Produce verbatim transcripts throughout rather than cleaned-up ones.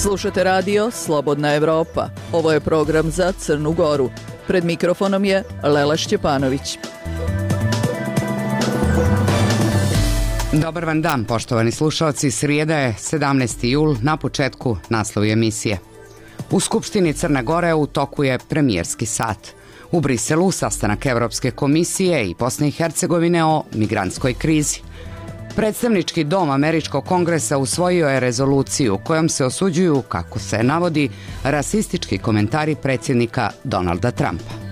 Slušate radio Slobodna Evropa. Ovo je program za Crnu Goru. Pred mikrofonom je Lela Šćepanović. Dobar vam dan, poštovani slušalci. Srijeda je sedamnaesti jul, na početku naslovi emisije. U Skupštini Crne Gore u toku je premijerski sat. U Briselu sastanak Evropske komisije i Bosne i Hercegovine o migrantskoj krizi. Predstavnički dom Američkog kongresa usvojio je rezoluciju kojom se osuđuju, kako se navodi, rasistički komentari predsjednika Donalda Trumpa.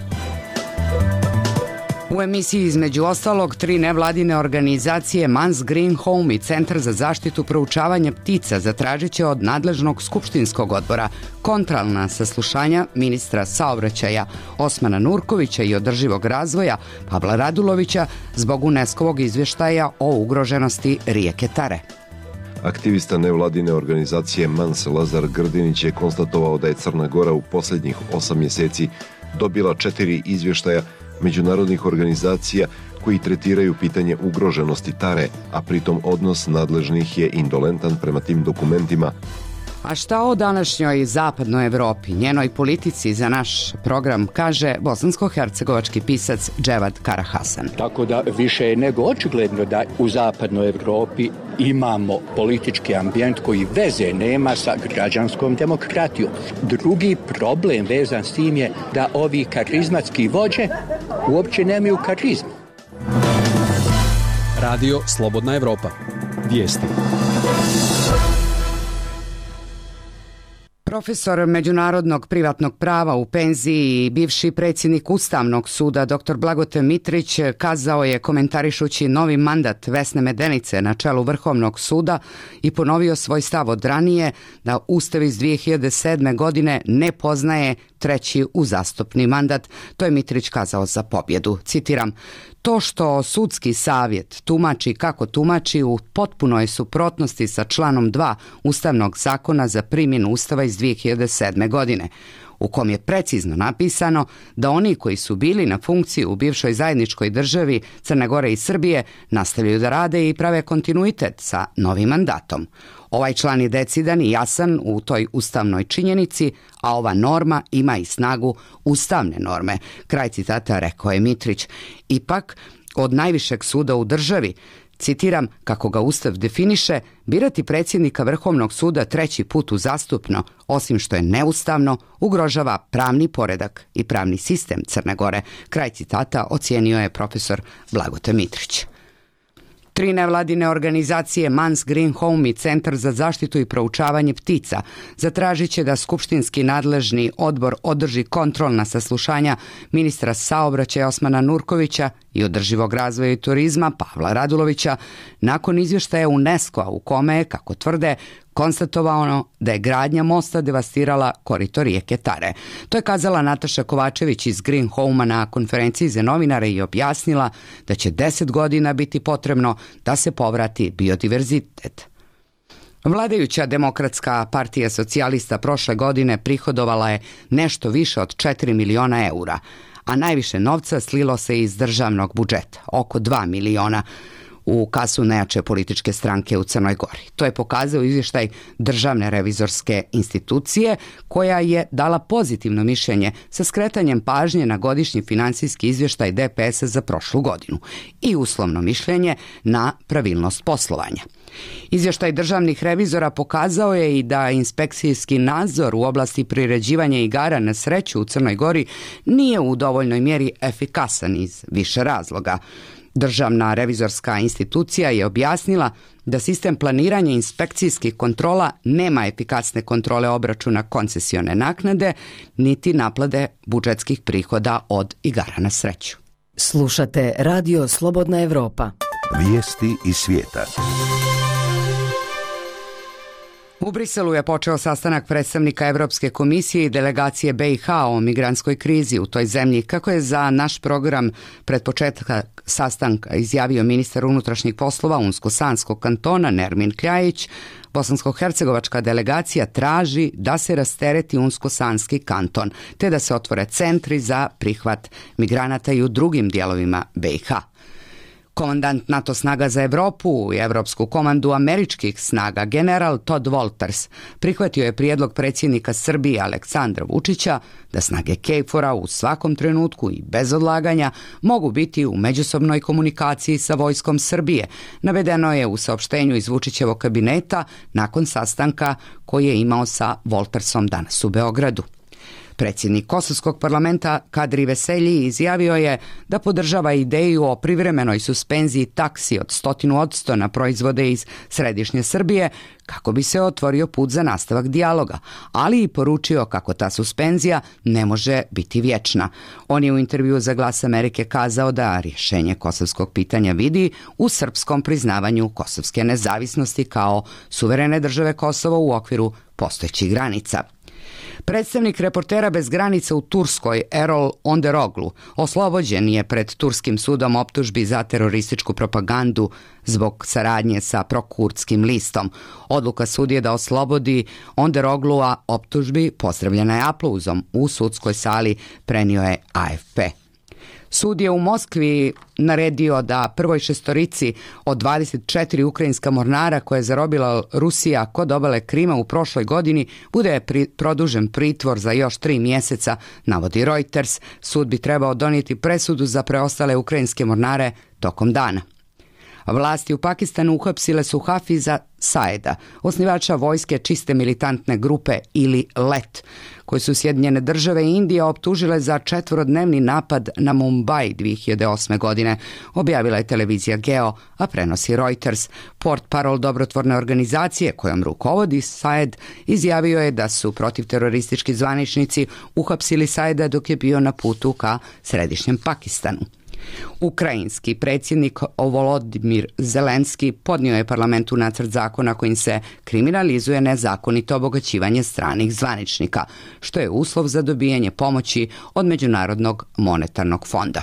U emisiji između ostalog tri nevladine organizacije Mans Green Home i Centar za zaštitu proučavanja ptica zatražit će od nadležnog skupštinskog odbora kontrolna saslušanja ministra saobraćaja Osmana Nurkovića i održivog razvoja Pavla Radulovića zbog UNESCO-vog izvještaja o ugroženosti rijeke Tare. Aktivista nevladine organizacije Mans Lazar Grdinić je konstatovao da je Crna Gora u posljednjih osam mjeseci dobila četiri izvještaja međunarodnih organizacija koji tretiraju pitanje ugroženosti Tare, a pritom odnos nadležnih je indolentan prema tim dokumentima. A šta o današnjoj zapadnoj Evropi, njenoj politici za naš program kaže bosansko-hercegovački pisac Dževad Karahasan. Tako da više je nego očigledno da u zapadnoj Evropi imamo politički ambijent koji veze nema sa građanskom demokratijom. Drugi problem vezan s tim je da ovi karizmatski vođe uopće nemaju karizmu. Radio Slobodna Evropa. Vijesti. Profesor međunarodnog privatnog prava u penziji i bivši predsjednik Ustavnog suda dr Blagote Mitrić kazao je komentarišući novi mandat Vesne Medenice na čelu Vrhovnog suda i ponovio svoj stav od ranije da Ustav iz dvije hiljade sedme. godine ne poznaje treći uzastopni mandat. To je Mitrić kazao za pobjedu. Citiram: to što sudski savjet tumači kako tumači u potpunoj suprotnosti sa članom dva Ustavnog zakona za primjenu Ustava iz dvije hiljade sedme. godine, u kom je precizno napisano da oni koji su bili na funkciji u bivšoj zajedničkoj državi Crne Gore i Srbije nastavljaju da rade i prave kontinuitet sa novim mandatom. Ovaj član je decidan i jasan u toj ustavnoj činjenici, a ova norma ima i snagu ustavne norme. Kraj citata, rekao je Mitrić. Ipak, od najvišeg suda u državi, citiram, kako ga Ustav definiše, birati predsjednika Vrhovnog suda treći put uzastupno, osim što je neustavno, ugrožava pravni poredak i pravni sistem Crne Gore. Kraj citata ocijenio je profesor Blagote Mitrić. Tri nevladine organizacije Mans Green Home i Centar za zaštitu i proučavanje ptica zatražit će da skupštinski nadležni odbor održi kontrolna saslušanja ministra saobraćaja Osmana Nurkovića i održivog razvoja i turizma Pavla Radulovića nakon izvještaja UNESCO-a u kome je, kako tvrde, konstatovano da je gradnja mosta devastirala korito rijeke Tare. To je kazala Nataša Kovačević iz Green Home-a na konferenciji za novinare i objasnila da će deset godina biti potrebno da se povrati biodiverzitet. Vladajuća Demokratska partija socijalista prošle godine prihodovala je nešto više od četiri miliona eura, a najviše novca slilo se iz državnog budžeta, oko dva miliona, u kasu najjače političke stranke u Crnoj Gori. To je pokazao izvještaj Državne revizorske institucije koja je dala pozitivno mišljenje sa skretanjem pažnje na godišnji financijski izvještaj D P S-a za prošlu godinu i uslovno mišljenje na pravilnost poslovanja. Izvještaj državnih revizora pokazao je i da inspekcijski nadzor u oblasti priređivanja igara na sreću u Crnoj Gori nije u dovoljnoj mjeri efikasan iz više razloga. Državna revizorska institucija je objasnila da sistem planiranja inspekcijskih kontrola nema efikasne kontrole obračuna koncesione naknade, niti naplate budžetskih prihoda od igara na sreću. Slušate Radio Slobodna Evropa. Vijesti iz svijeta. U Briselu je počeo sastanak predstavnika Evropske komisije i delegacije B i H o migrantskoj krizi u toj zemlji, kako je za naš program pred početak sastanka izjavio ministar unutrašnjih poslova Unsko-Sanskog kantona Nermin Kljajić. Bosansko-hercegovačka delegacija traži da se rastereti Unsko-Sanski kanton, te da se otvore centri za prihvat migranata i u drugim dijelovima B i H. Komandant NATO snaga za Evropu i Evropsku komandu američkih snaga general Todd Wolters prihvatio je prijedlog predsjednika Srbije Aleksandra Vučića da snage K F O R-a u svakom trenutku i bez odlaganja mogu biti u međusobnoj komunikaciji sa vojskom Srbije. Navedeno je u saopštenju iz Vučićevog kabineta nakon sastanka koji je imao sa Woltersom danas u Beogradu. Predsjednik Kosovskog parlamenta Kadri Veselji izjavio je da podržava ideju o privremenoj suspenziji taksi od stotinu odsto na proizvode iz središnje Srbije kako bi se otvorio put za nastavak dijaloga, ali i poručio kako ta suspenzija ne može biti vječna. On je u intervjuu za Glas Amerike kazao da rješenje kosovskog pitanja vidi u srpskom priznavanju kosovske nezavisnosti kao suverene države Kosovo u okviru postojećih granica. Predstavnik Reportera bez granica u Turskoj, Erol Onderoglu, oslobođen je pred turskim sudom optužbi za terorističku propagandu zbog saradnje sa prokurdskim listom. Odluka sudije da oslobodi Onderoglua optužbi pozdravljena je aplauzom u sudskoj sali, prenio je A F P. Sud je u Moskvi naredio da prvoj šestorici od dvadeset četiri ukrajinska mornara koje je zarobila Rusija kod obale Krima u prošloj godini bude pri, produžen pritvor za još tri mjeseca, navodi Reuters. Sud bi trebao donijeti presudu za preostale ukrajinske mornare tokom dana. Vlasti u Pakistanu uhapsile su Hafiza Saeda, osnivača vojske čiste militantne grupe ili L E T, koji su Sjedinjene države i Indija optužile za četvorodnevni napad na Mumbai dvije hiljade osme. godine, objavila je televizija Geo, a prenosi Reuters. Portparol dobrotvorne organizacije kojom rukovodi Saed izjavio je da su protivteroristički zvaničnici uhapsili Saeda dok je bio na putu ka središnjem Pakistanu. Ukrajinski predsjednik Volodimir Zelenski podnio je parlamentu nacrt zakona kojim se kriminalizuje nezakonito obogaćivanje stranih zvaničnika, što je uslov za dobijanje pomoći od Međunarodnog monetarnog fonda.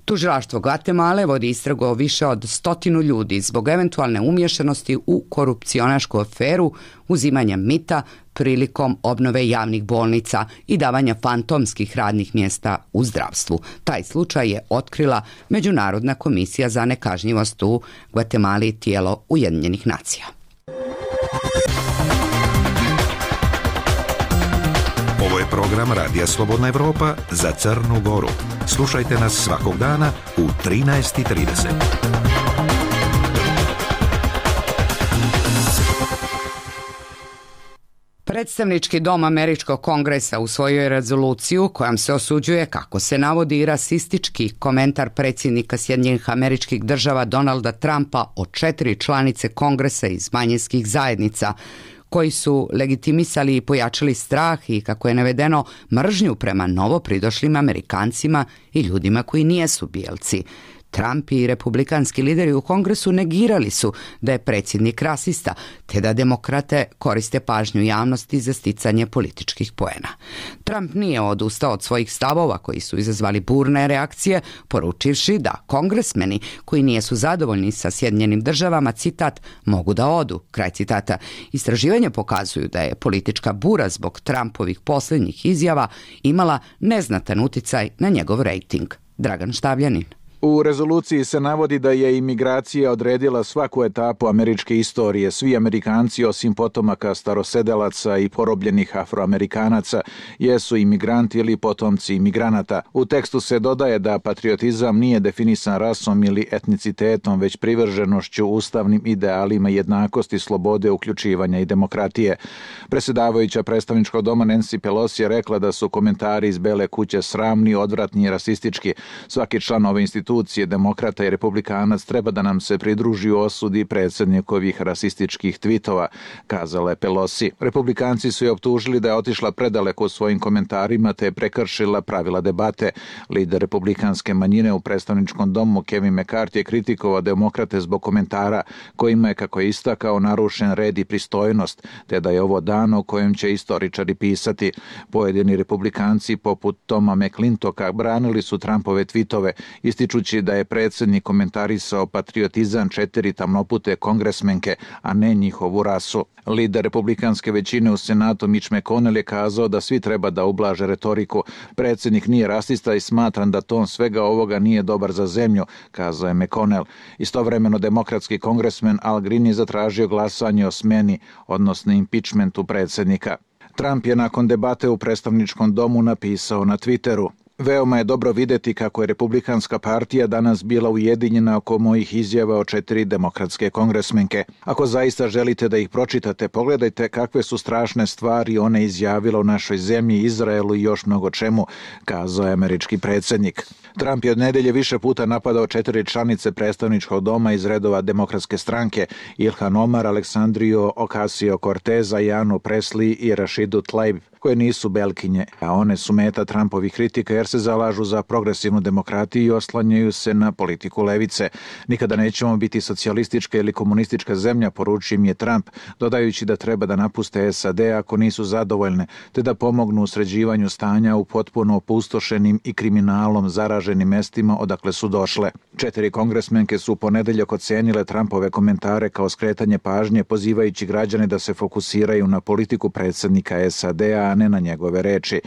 Tužilaštvo Gvatemale vodi istragu o više od stotinu ljudi zbog eventualne umješanosti u korupcionašku aferu uzimanja mita prilikom obnove javnih bolnica i davanja fantomskih radnih mjesta u zdravstvu. Taj slučaj je otkrila Međunarodna komisija za nekažnjivost u Gvatemali, tijelo Ujedinjenih nacija. Ovo je program Radija Slobodna Evropa za Crnu Goru. Slušajte nas svakog dana u trinaest i trideset. Predstavnički dom Američkog kongresa usvojio je rezoluciju kojom se osuđuje, kako se navodi, rasistički komentar predsjednika Sjedinjenih Američkih Država Donalda Trumpa o četiri članice kongresa iz manjinskih zajednica, koji su legitimisali i pojačali strah i, kako je navedeno, mržnju prema novopridošlim Amerikancima i ljudima koji nijesu bijelci. Trump i republikanski lideri u Kongresu negirali su da je predsjednik rasista, te da demokrate koriste pažnju javnosti za sticanje političkih poena. Trump nije odustao od svojih stavova koji su izazvali burne reakcije, poručivši da kongresmeni koji nijesu zadovoljni sa Sjedinjenim državama, citat, mogu da odu, kraj citata. Istraživanja pokazuju da je politička bura zbog Trumpovih posljednjih izjava imala neznatan uticaj na njegov rejting. Dragan Štavljanin. U rezoluciji se navodi da je imigracija odredila svaku etapu američke istorije. Svi Amerikanci, osim potomaka starosedelaca i porobljenih Afroamerikanaca, jesu imigranti ili potomci imigranata. U tekstu se dodaje da patriotizam nije definisan rasom ili etnicitetom, već privrženošću ustavnim idealima jednakosti, slobode, uključivanja i demokratije. Predsjedavajuća predstavničkog doma Nancy Pelosi je rekla da su komentari iz Bele kuće sramni, odvratni i rasistički. Svaki član ove institucije, demokrata i republikanac, treba da nam se pridruži u osudi predsjednikovih rasističkih tvitova, kazala je Pelosi. Republikanci su je optužili da je otišla predaleko u svojim komentarima te je prekršila pravila debate. Lider republikanske manjine u predstavničkom domu Kevin McCarthy je kritikovao demokrate zbog komentara kojima je, kako je istakao, narušen red i pristojnost, te da je ovo dan o kojem će istoričari pisati. Pojedini republikanci poput Toma McClintoka branili su Trumpove tvitove, ističu ističući da je predsjednik komentarisao patriotizam četiri tamnopute kongresmenke, a ne njihovu rasu. Lider republikanske većine u Senatu Mitch McConnell je kazao da svi treba da ublaže retoriku. Predsjednik nije rasista i smatram da ton svega ovoga nije dobar za zemlju, kazao je McConnell. Istovremeno demokratski kongresmen Al Green je zatražio glasanje o smeni, odnosno impeachmentu predsjednika. Trump je nakon debate u predstavničkom domu napisao na Twitteru: veoma je dobro vidjeti kako je Republikanska partija danas bila ujedinjena oko mojih izjava o četiri demokratske kongresmenke. Ako zaista želite da ih pročitate, pogledajte kakve su strašne stvari one izjavile u našoj zemlji, Izraelu i još mnogo čemu, kazao je američki predsjednik. Trump je od nedelje više puta napadao četiri članice predstavničkog doma iz redova demokratske stranke: Ilhan Omar, Aleksandriju Ocasio-Cortez, Janu Presley i Rashidu Tlaib, koje nisu belkinje, a one su meta Trumpovih kritika jer se zalažu za progresivnu demokratiju i oslanjaju se na politiku levice. Nikada nećemo biti socijalistička ili komunistička zemlja, poručio im je Trump, dodajući da treba da napuste S A D ako nisu zadovoljne, te da pomognu u sređivanju stanja u potpuno opustošenim i kriminalom zaraženim mestima odakle su došle. Četiri kongresmenke su u ponedeljak ocenile Trumpove komentare kao skretanje pažnje, pozivajući građane da se fokusiraju na politiku predsjednika S A D-a, a ne na njegove reči.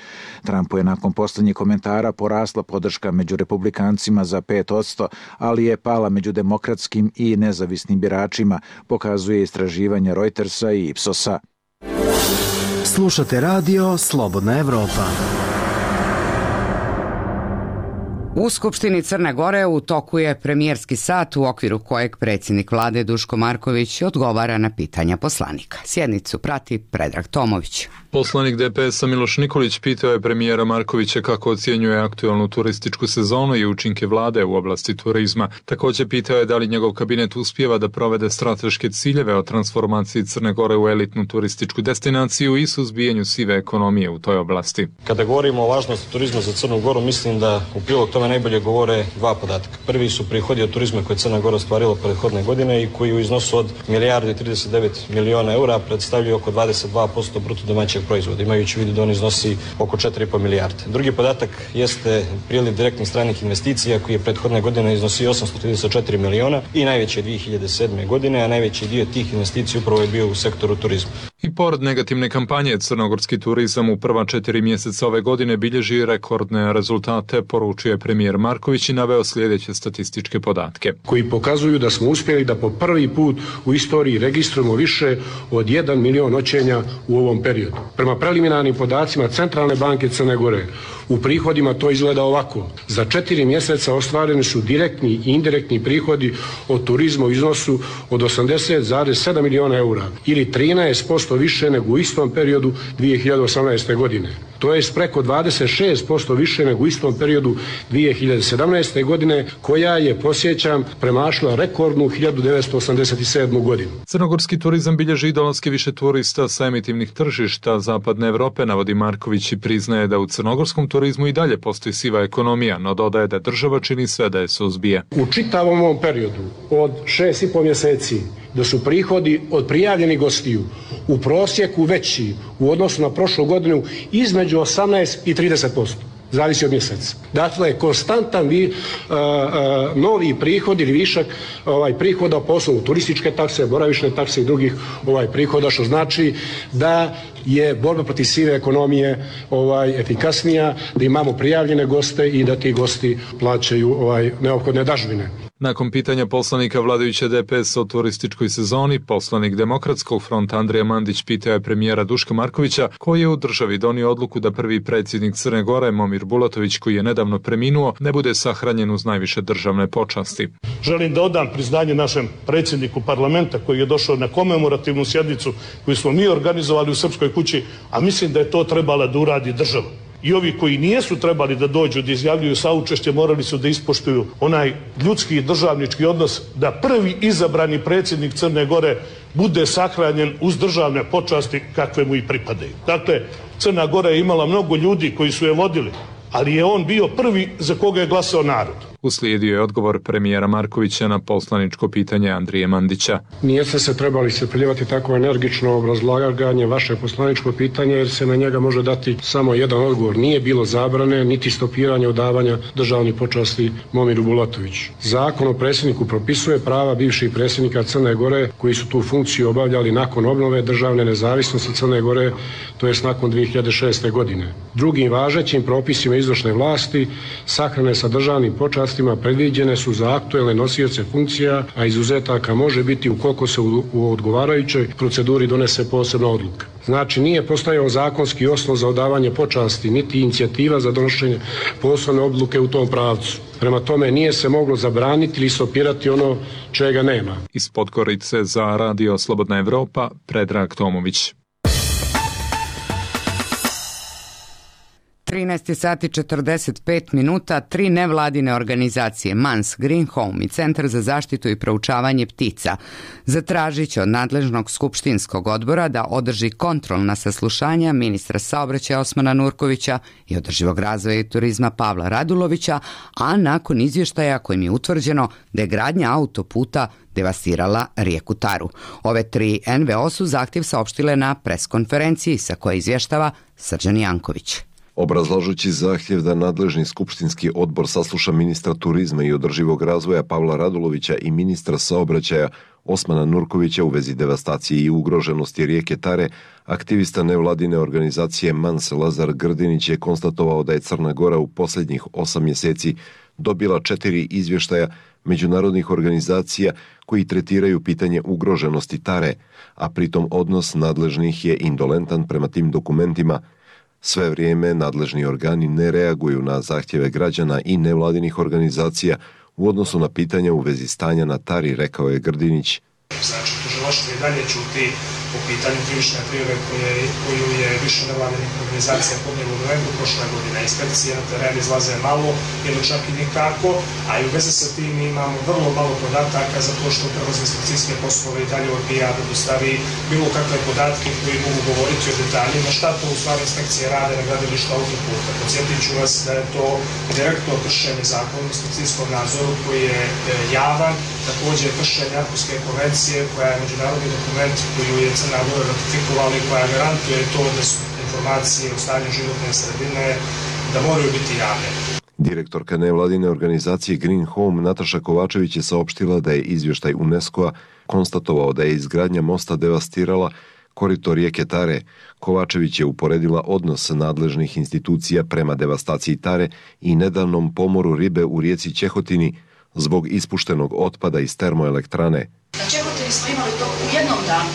Trumpu je nakon posljednjih komentara porasla podrška među republikancima za pet posto, ali je pala među demokratskim i nezavisnim biračima, pokazuje istraživanje Reutersa i Ipsosa. Slušate radio Slobodna Evropa. U Skupštini Crne Gore u toku je premijerski sat u okviru kojeg predsjednik vlade Duško Marković odgovara na pitanja poslanika. Sjednicu prati Predrag Tomović. Poslanik D P S-a Miloš Nikolić pitao je premijera Markovića kako ocjenjuje aktualnu turističku sezonu i učinke vlade u oblasti turizma. Također pitao je da li njegov kabinet uspijeva da provede strateške ciljeve o transformaciji Crne Gore u elitnu turističku destinaciju i suzbijanju sive ekonomije u toj oblasti. Kada govorimo o važnosti turizma za Crnu Goru, mislim da u prilog tome najbolje govore dva podatka. Prvi su prihodi od turizma koje Crna Gora ostvarila prethodne godine i koji u iznosu od milijardu i trideset devet miliona eura predstavljaju oko dvadeset dva posto bruto domaćeg proizvoda, imajući u vidu da on iznosi oko četiri i po milijarde. Drugi podatak jeste priliv direktnih stranih investicija koji je prethodne godine iznosio osamsto trideset četiri miliona i najveći je dvije hiljade sedme. godine, a najveći dio tih investicija upravo je bio u sektoru turizma. I pored negativne kampanje, crnogorski turizam u prva četiri mjeseca ove godine bilježi rekordne rezultate, poručuje premijer Marković i naveo sljedeće statističke podatke. Koji pokazuju da smo uspjeli da po prvi put u istoriji registrujemo više od jedan milion noćenja u ovom periodu. Prema preliminarnim podacima Centralne banke Crne Gore, u prihodima to izgleda ovako. Za četiri mjeseca ostvareni su direktni i indirektni prihodi od turizma u iznosu od osamdeset zarez sedam miliona eura ili trinaest posto više nego u istom periodu dvije hiljade osamnaeste. godine. To je preko dvadeset šest posto više nego u istom periodu dvije hiljade sedamnaeste. godine, koja je, podsjećam, premašila rekordnu hiljadu devetsto osamdeset sedmu. godinu. Crnogorski turizam bilježi i dolaske više turista sa emitivnih tržišta Zapadne Evrope, navodi Marković i priznaje da u crnogorskom turizmu i dalje postoji siva ekonomija, no dodaje da država čini sve da je suzbije. U čitavom ovom periodu od šest i po mjeseci da su prihodi od prijavljenih gostiju u prosjeku veći u odnosu na prošlu godinu između osamnaest i trideset posto. Zavisi od mjeseca. Dakle, konstantan vi, uh, uh, novi prihod ili višak ovaj, prihoda po osnovu turističke takse, boravišne takse i drugih ovaj, prihoda, što znači da je borba protiv sive ekonomije ovaj, efikasnija, da imamo prijavljene goste i da ti gosti plaćaju ovaj, neophodne dažbine. Nakon pitanja poslanika vladajuće D P S o turističkoj sezoni, poslanik Demokratskog fronta Andrija Mandić pitao je premijera Duška Markovića koji je u državi donio odluku da prvi predsjednik Crne Gore, Momir Bulatović, koji je nedavno preminuo, ne bude sahranjen uz najviše državne počasti. Želim da odam priznanje našem predsjedniku parlamenta koji je došao na komemorativnu sjednicu koju smo mi organizovali u Srpskoj kući, a mislim da je to trebala da uradi država. I ovi koji nijesu trebali da dođu da izjavljuju saučešće morali su da ispoštuju onaj ljudski i državnički odnos da prvi izabrani predsjednik Crne Gore bude sahranjen uz državne počasti kakve mu i pripadaju. Dakle, Crna Gora je imala mnogo ljudi koji su je vodili, ali je on bio prvi za koga je glasao narod. Uslijedio je odgovor premijera Markovića na poslaničko pitanje Andrije Mandića. Nijeste se trebali iscrpljivati tako energično obrazlaganje vaše poslaničko pitanje, jer se na njega može dati samo jedan odgovor. Nije bilo zabrane niti stopiranja odavanja državnih počasti Momiru Bulatoviću. Zakon o predsjedniku propisuje prava bivših predsjednika Crne Gore koji su tu funkciju obavljali nakon obnove državne nezavisnosti Crne Gore, to jest nakon dvije hiljade šeste. godine. Drugim važećim propisima izvršne vlasti sahrane sa državnim počastima predviđene su za aktuelne nosioce funkcija, a izuzetaka može biti ukoliko se u, u odgovarajućoj proceduri donese posebna odluka. Znači, nije postojao zakonski osnov za odavanje počasti, niti inicijativa za donošenje posebne odluke u tom pravcu. Prema tome, nije se moglo zabraniti ili stopirati ono čega nema. Iz Podgorice za Radio Slobodna Evropa, Predrag Tomović. trinaest sati četrdeset pet minuta, tri nevladine organizacije Mans, Green Home i Centar za zaštitu i proučavanje ptica zatražit će od nadležnog skupštinskog odbora da održi kontrolna saslušanja ministra saobraćaja Osmana Nurkovića i održivog razvoja i turizma Pavla Radulovića, a nakon izvještaja kojim je utvrđeno da je gradnja autoputa devastirala rijeku Taru. Ove tri en ve o su zahtjev saopštile na preskonferenciji sa koje izvještava Srđan Janković. Obrazlažući zahtjev da nadležni skupštinski odbor sasluša ministra turizma i održivog razvoja Pavla Radulovića i ministra saobraćaja Osmana Nurkovića u vezi devastacije i ugroženosti rijeke Tare, aktivista nevladine organizacije Mans Lazar Grdinić je konstatovao da je Crna Gora u posljednjih osam mjeseci dobila četiri izvještaja međunarodnih organizacija koji tretiraju pitanje ugroženosti Tare, a pritom odnos nadležnih je indolentan prema tim dokumentima. Sve vrijeme nadležni organi ne reaguju na zahtjeve građana i nevladinih organizacija u odnosu na pitanja u vezi stanja na Tari, rekao je Grdinić. Znači, tužilaštvo i dalje ćuti po pitanju krivične prijave koju je više nevladinih organizacija podnijelo u novembru prošle godine. Inspekcije na teren izlaze malo ili čak i nikako, a i u vezi sa tim imamo vrlo malo podataka zato što prelaze inspekcijske poslove i dalje odbija da dostavi bilo kakve podatke koji mogu govoriti o detaljima šta to u stvari inspekcije rade na gradilištu autoputa. Podsjetit ću vas da je to direktno kršenje zakona o inspekcijskom nadzoru koji je javan, također kršenje Arhuške konvencije koja je međunarodni dokument koju je Crna Gora ratifikovala i koja garantuje to da su informacije o stanju životne sredine da moraju biti javne. Direktorka nevladine organizacije Green Home Nataša Kovačević je saopštila da je izvještaj UNESCO-a konstatovao da je izgradnja mosta devastirala korito rijeke Tare. Kovačević je uporedila odnos nadležnih institucija prema devastaciji Tare i nedavnom pomoru ribe u rijeci Ćehotini zbog ispuštenog otpada iz termoelektrane. Na Ćehotini smo imali to u jednom danu,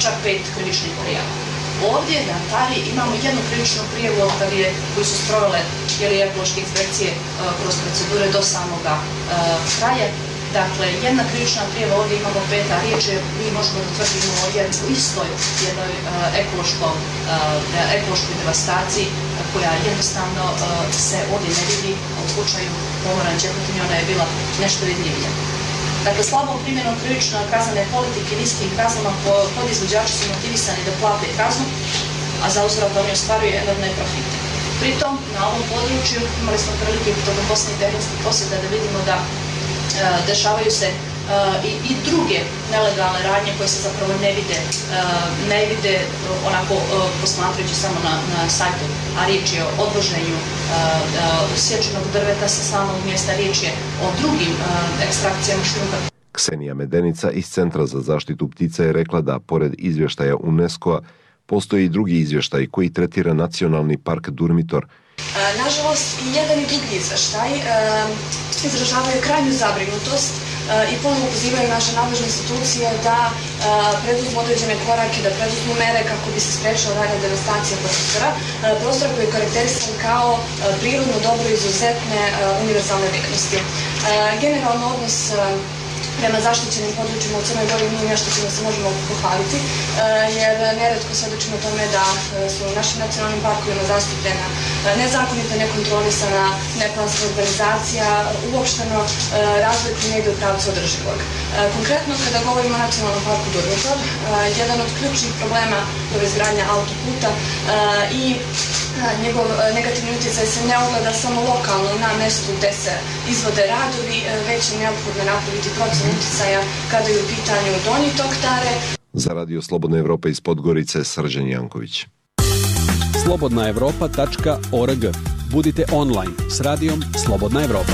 čak pet krivičnih prijava. Ovdje na Tari imamo jednu krivičnu prijavu od kad je, koji su sprovele ekološke inspekcije kroz procedure do samoga kraja. Dakle, jedna krivična prijava, ovdje imamo pet, a riječ je, mi možemo da tvrdimo o istoj jednoj ekološkoj devastaciji koja jednostavno se ovdje ne vidi. U slučaju pomora na Ćehotini ona je bila nešto vidljivija. Dakle, slabom primjenom krivično kaznene politike i niskim kaznama podizvođači su motivisani da plate kaznu, a za uzvrat oni ostvaruju enormne profite. Pritom, na ovom području imali smo prilike tokom posljednjih tehničkih posjeda da vidimo da e, dešavaju se e, i, i druge nelegalne radnje koje se zapravo ne vide, e, ne vide onako e, posmatrajući samo na, na sajtu, a riječ je o odvoženju e, e, sječenog drveta sa samog mjesta, riječ je o drugim e, ekstrakcijama šljunka. Ksenija Medenica iz Centra za zaštitu ptica je rekla da, pored izvještaja UNESCO-a, postoji i drugi izvještaj koji tretira nacionalni park Durmitor. Nažalost, i jedan i drugi izvještaj e, izražavaju krajnju zabrinutost e, i ponovno pozivaju naše nadležne institucije da e, preduzmu određene korake, da preduzmu mere kako bi se sprečila dalja devastacija prostora, e, prostora koji je karakterisan kao e, prirodno dobro izuzetne e, univerzalne vrijednosti. E, generalno odnos e, prema zaštićenim područjima u Crnoj Gori nije nešto čime se možemo pohvaliti, jer neretko svedočimo tome da su u našim nacionalnim parkovima zastupljena nezakonita, nekontrolisana, neplanska urbanizacija, uopšteno razvoj koji ne ide u pravcu održivog. Konkretno, kada govorimo o nacionalnom parku Durmitor, jedan od ključnih problema je izgradnja autoputa i njegov negativni utjecaj se ne ogleda samo lokalno na mjestu gdje se izvode radovi, već je neophodno napraviti procjenu utjecaja kada je u pitanju Donji tok Tare. Za Radio Slobodna Evropa iz Podgorice, Srđan Janković. slobodna evropa tačka org. Budite online s radijom Slobodna Evropa.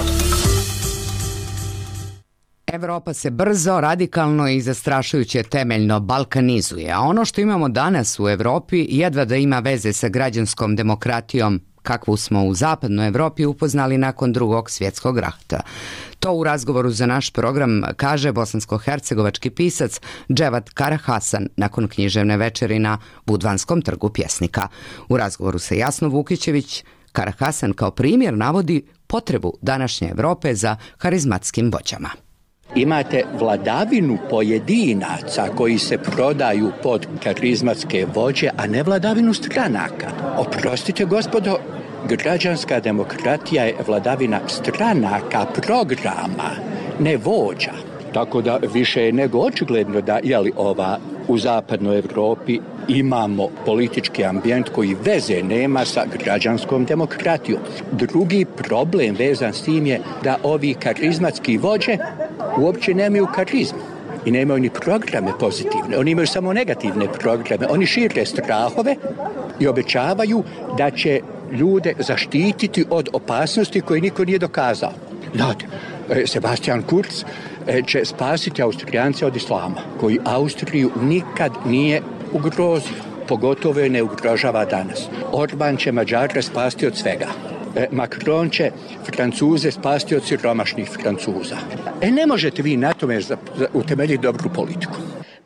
Evropa se brzo, radikalno i zastrašujuće temeljno balkanizuje, a ono što imamo danas u Evropi jedva da ima veze sa građanskom demokratijom kakvu smo u zapadnoj Evropi upoznali nakon drugog svjetskog rata. To u razgovoru za naš program kaže bosansko-hercegovački pisac Dževat Karahasan nakon književne večeri na Budvanskom trgu pjesnika. U razgovoru sa Jasnom Vukićević, Karahasan kao primjer navodi potrebu današnje Evrope za harizmatskim vođama. Imate vladavinu pojedinaca koji se prodaju pod karizmatske vođe, a ne vladavinu stranaka. Oprostite, gospodo, građanska demokratija je vladavina stranaka, programa, ne vođa. Tako da više je nego očigledno da jeli, ova, u zapadnoj Evropi imamo politički ambijent koji veze nema sa građanskom demokratijom. Drugi problem vezan s tim je da ovi karizmatski vođe uopće nemaju karizmu i nemaju ni programe pozitivne. Oni imaju samo negativne programe. Oni šire strahove i obećavaju da će ljude zaštititi od opasnosti koje niko nije dokazao. Znate, Sebastian Kurz će spasiti Austrijance od islama, koji Austriju nikad nije ugrozio, pogotovo je ne ugrožava danas. Orban će Mađare spasti od svega. Macron će Francuze spasti od siromašnih Francuza. E ne možete vi na tome utemeljiti dobru politiku.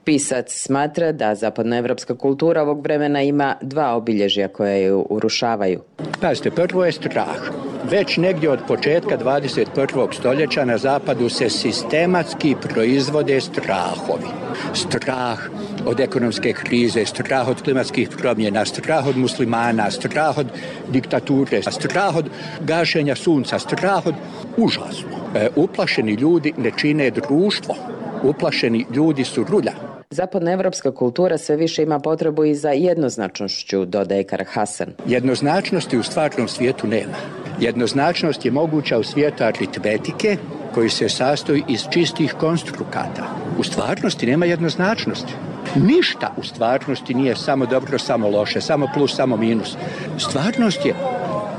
Pisac smatra da zapadnoevropska kultura ovog vremena ima dva obilježja koja ju urušavaju. Pazite, prvo je strah. Već negdje od početka dvadeset prvog stoljeća na zapadu se sistematski proizvode strahovi. Strah od ekonomske krize, strah od klimatskih promjena, strah od muslimana, strah od diktature, strah od gašenja sunca, strah od užasno. E, uplašeni ljudi ne čine društvo. Uplašeni ljudi su rulja. Zapadnoevropska kultura sve više ima potrebu i za jednoznačnošću, dodaje Karahasan. Jednoznačnosti u stvarnom svijetu nema. Jednoznačnost je moguća u svijetu aritmetike koji se sastoji iz čistih konstrukata. U stvarnosti nema jednoznačnosti. Ništa u stvarnosti nije samo dobro, samo loše, samo plus, samo minus. Stvarnost je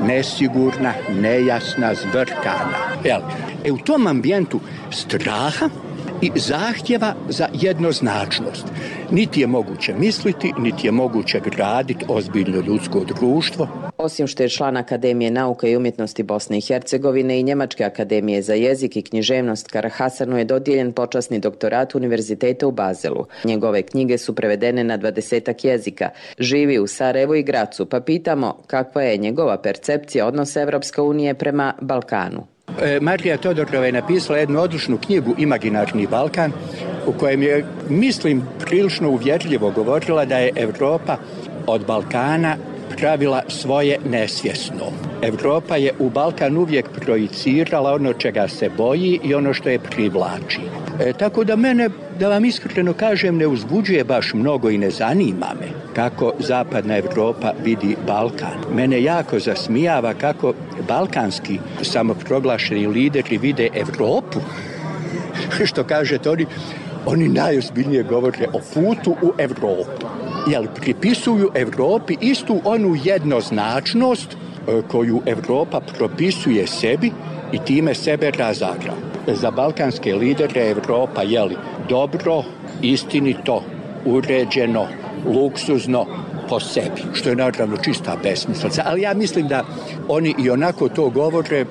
nesigurna, nejasna, zbrkana. Jel? E u tom ambijentu straha i zahtjeva za jednoznačnost. Niti je moguće misliti, niti je moguće graditi ozbiljno ljudsko društvo. Osim što je član Akademije nauka i umjetnosti Bosne i Hercegovine i Njemačke akademije za jezik i književnost, Karahasanu je dodijeljen počasni doktorat Univerziteta u Bazelu. Njegove knjige su prevedene na dvadesetak jezika. Živi u Sarajevu i Gracu, pa pitamo kakva je njegova percepcija odnosa Evropske unije prema Balkanu. Marija Todorova je napisala jednu odličnu knjigu Imaginarni Balkan, u kojem je, mislim, prilično uvjerljivo govorila da je Evropa od Balkana pravila svoje nesvjesno. Evropa je u Balkan uvijek projicirala ono čega se boji i ono što je privlači. E, tako da mene, da vam iskreno kažem, ne uzbuđuje baš mnogo i ne zanima me kako zapadna Evropa vidi Balkan. Mene jako zasmijava kako balkanski samoproglašeni lideri vide Evropu. Što kažete, oni, oni najozbiljnije govore o putu u Evropu. Jel, pripisuju Evropi istu onu jednoznačnost koju Evropa propisuje sebi i time sebe razara. Za balkanske lidere Evropa je li dobro, istinito, uređeno, luksuzno po sebi, što je naravno čista besmislica. Ali ja mislim da oni i onako to govore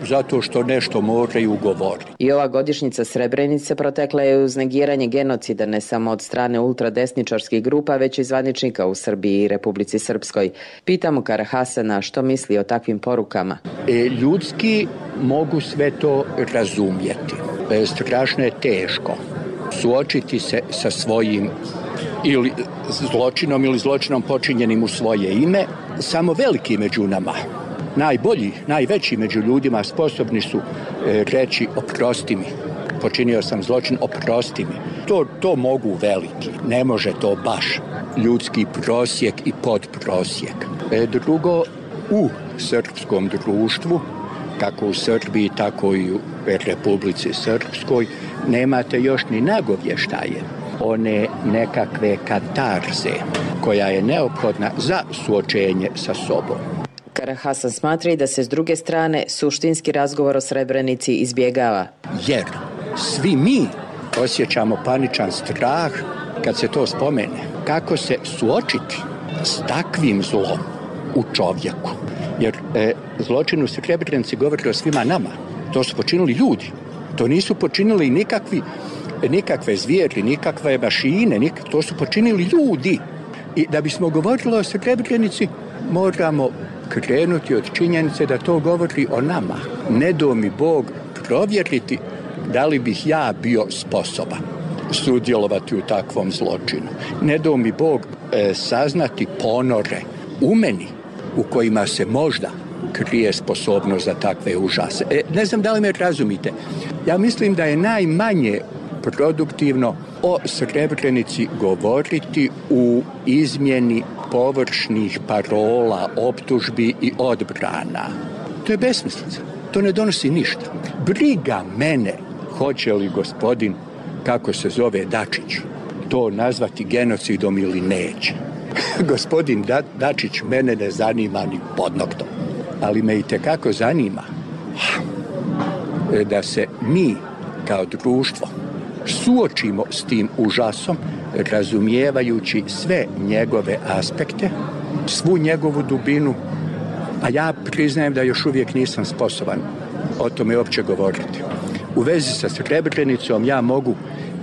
zato što nešto moraju govoriti. I ova godišnjica Srebrenice protekla je uz negiranje genocida ne samo od strane ultradesničarskih grupa, već i zvaničnika u Srbiji i Republici Srpskoj. Pitamo Karahasana što misli o takvim porukama. E, ljudski mogu sve to razumjeti. E, strašno je teško suočiti se sa svojim ili zločinom ili zločinom počinjenim u svoje ime. Samo veliki među nama, najbolji, najveći među ljudima sposobni su e, reći oprosti mi, počinio sam zločin, oprosti mi. To, to mogu veliki, ne može to baš ljudski prosjek i podprosjek. E, drugo, u srpskom društvu, kako u Srbiji, tako i u Republici Srpskoj, nemate još ni nagovještaje one nekakve katarze koja je neophodna za suočenje sa sobom. Karahasan smatra i da se s druge strane suštinski razgovor o Srebrenici izbjegava. Jer svi mi osjećamo paničan strah kad se to spomene. Kako se suočiti s takvim zlom u čovjeku? Jer e, zločin u Srebrenici govori o svima nama. To su počinili ljudi. To nisu počinili nikakvi, nikakve zvijeri, nikakve mašine. Nik, to su počinili ljudi. I da bismo govorili o Srebrenici, moramo krenuti od činjenice da to govori o nama. Ne do mi Bog provjeriti da li bih ja bio sposoban sudjelovati u takvom zločinu. Ne do mi Bog e, saznati ponore u meni u kojima se možda krije sposobnost za takve užase. E, ne znam da li me razumite. Ja mislim da je najmanje produktivno o Srebrenici govoriti u izmjeni površnih parola, optužbi i odbrana. To je besmislica. To ne donosi ništa. Briga mene hoće li gospodin, kako se zove Dačić, to nazvati genocidom ili neće. Gospodin da, Dačić mene ne zanima ni pod noktom. Ali me i tekako zanima da se mi kao društvo suočimo s tim užasom, razumijevajući sve njegove aspekte, svu njegovu dubinu, a ja priznajem da još uvijek nisam sposoban o tome uopće govoriti. U vezi sa Srebrenicom ja mogu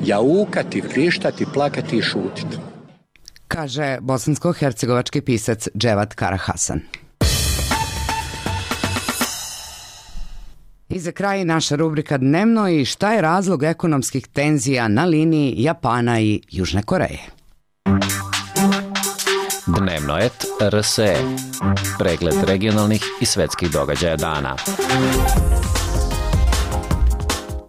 jaukati, vrištati, plakati i šutiti. Kaže bosansko-hercegovački pisac Dževat Karahasan. I za kraj naša rubrika Dnevno i šta je razlog ekonomskih tenzija na liniji Japana i Južne Koreje. Dnevno et R S E. Pregled regionalnih i svetskih događaja dana.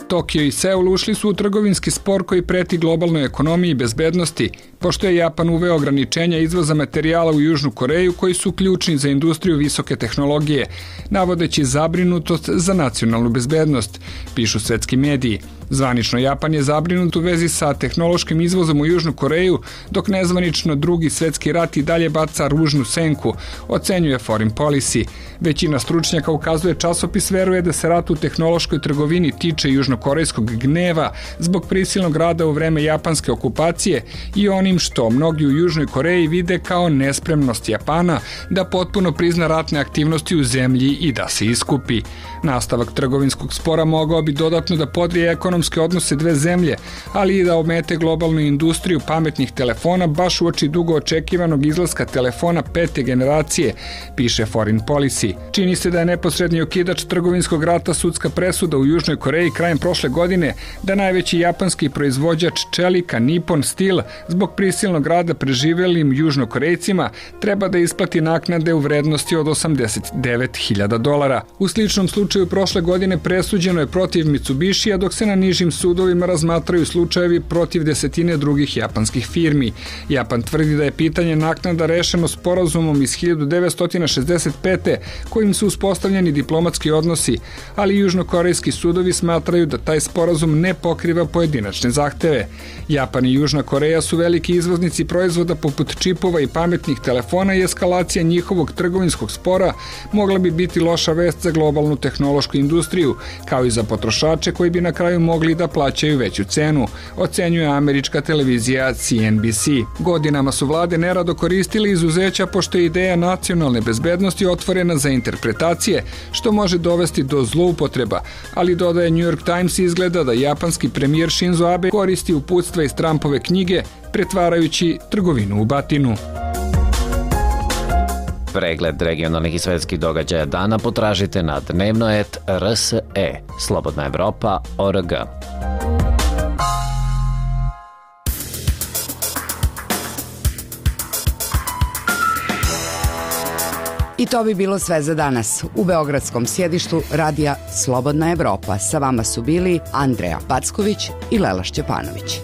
Tokio i Seul ušli su u trgovinski spor koji preti globalnoj ekonomiji i bezbednosti, pošto je Japan uveo ograničenja izvoza materijala u Južnu Koreju koji su ključni za industriju visoke tehnologije, navodeći zabrinutost za nacionalnu bezbednost, pišu svetski mediji. Zvanično Japan je zabrinut u vezi sa tehnološkim izvozom u Južnu Koreju, dok nezvanično drugi svetski rat i dalje baca ružnu senku, ocenjuje Foreign Policy. Većina stručnjaka ukazuje časopis veruje da se rat u tehnološkoj trgovini tiče južnokorejskog gneva zbog prisilnog rada u vreme japanske okupacije i onim što mnogi u Južnoj Koreji vide kao nespremnost Japana da potpuno prizna ratne aktivnosti u zemlji i da se iskupi. Nastavak trgovinskog spora mogao bi dodatno da podrije ekonomske odnose dve zemlje, ali i da omete globalnu industriju pametnih telefona baš uoči dugo očekivanog izlaska telefona pete generacije, piše Foreign Policy. Čini se da je neposredni okidač trgovinskog rata sudska presuda u Južnoj Koreji krajem prošle godine da najveći japanski proizvođač čelika Nippon Steel zbog prisilnog rada preživelim Južnokorejcima treba da isplati naknade u vrednosti od osamdeset devet hiljada dolara. U sličnom slučaju prošle godine presuđeno je protiv Mitsubishija, dok se na nižim sudovima razmatraju slučajevi protiv desetine drugih japanskih firmi. Japan tvrdi da je pitanje naknada rešeno sporazumom iz hiljadu devetsto šezdeset pete kojim su uspostavljeni diplomatski odnosi, ali južnokorejski sudovi smatraju da taj sporazum ne pokriva pojedinačne zahteve. Japan i Južna Koreja su veliki izvoznici proizvoda poput čipova i pametnih telefona i eskalacija njihovog trgovinskog spora mogla bi biti loša vest za globalnu tehnološku industriju, kao i za potrošače koji bi na kraju mogli da plaćaju veću cenu, ocenjuje američka televizija C N B C. Godinama su vlade nerado koristile izuzeća pošto je ideja nacionalne bezbednosti otvorena za interpretacije, što može dovesti do zloupotreba, ali dodaje New York Times izgleda da japanski premijer Shinzo Abe koristi uputstva iz Trumpove knjige, pretvarajući trgovinu u batinu. Pregled regionalnih i svetskih događaja dana potražite na dnevno et R S E, Slobodna Evropa, O R G. I to bi bilo sve za danas. U beogradskom sjedištu radija Slobodna Evropa sa vama su bili Andreja Packović i Lela Šćepanović.